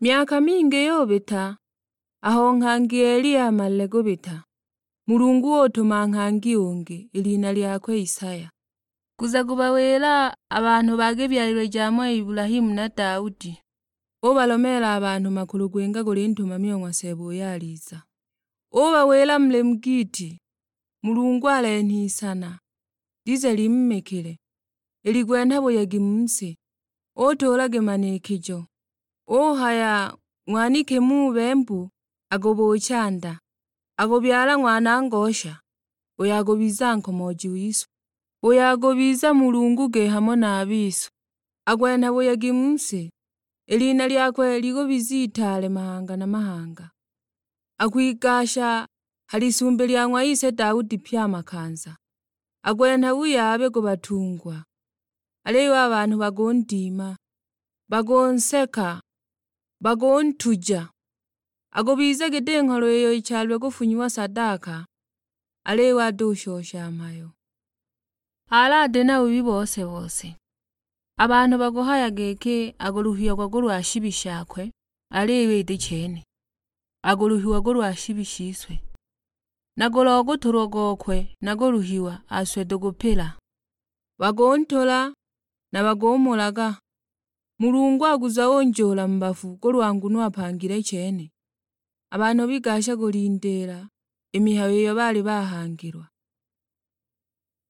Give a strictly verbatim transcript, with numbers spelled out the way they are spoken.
Myaka mingi yubita, aho nghangi Eliya amalile kubita, Mulungu utuma nghangi ungi, i lina lyakwe Isaya. Kuza kubawila a banhu ba kibyalilwe ja ng'wa Ibulahimu na Daudi. Ubalomeela a banhu makulu kwinga kuli Ntumami o ng'wa Seeba uyo aliza. Ubawila muli mu giiti, Mulungu alenha isana, lize limumikile, iligwenha buyegi mu si. Utuula gimanikijo, uhaya, ng'waniki mu bembu, akubuucha nda, akubyala ng'wana ngosha, uyo akubiza nkomooji wise, uyo akubiza Mulungu ge hamo na a bise. Akwenha buyegi mu si, i lina lyakwe likubiza itaale mahanga na mahanga. Akwigasha ha lisumbi lya ng'wa ise Daudi pye a makanza. Akwenha buyaabi ku batungwa, aliyo a banhu bakundima, bakunseka, bakuntuja. Akubiza giti ngholo iyo ichalilwe kufunyiwa sadaka, aliyo atushosha mhayo. Alati na bubi bose-bose. A banhu bakuhaya giki akuluhiagwa kulwa shibi shakwe, aliyo iti chene. Akuluhiwa kulwa shibi shise. Na kulwa kutulwa gokwe na kuluhiwa aswe tukupila. Bakuntula, na bakumulaga. Mulungu akuza unjuula mu bafu kulwa nguno apangile chene. A banhu bigasha kulindiila i mihayo iyo baali bahangilwa.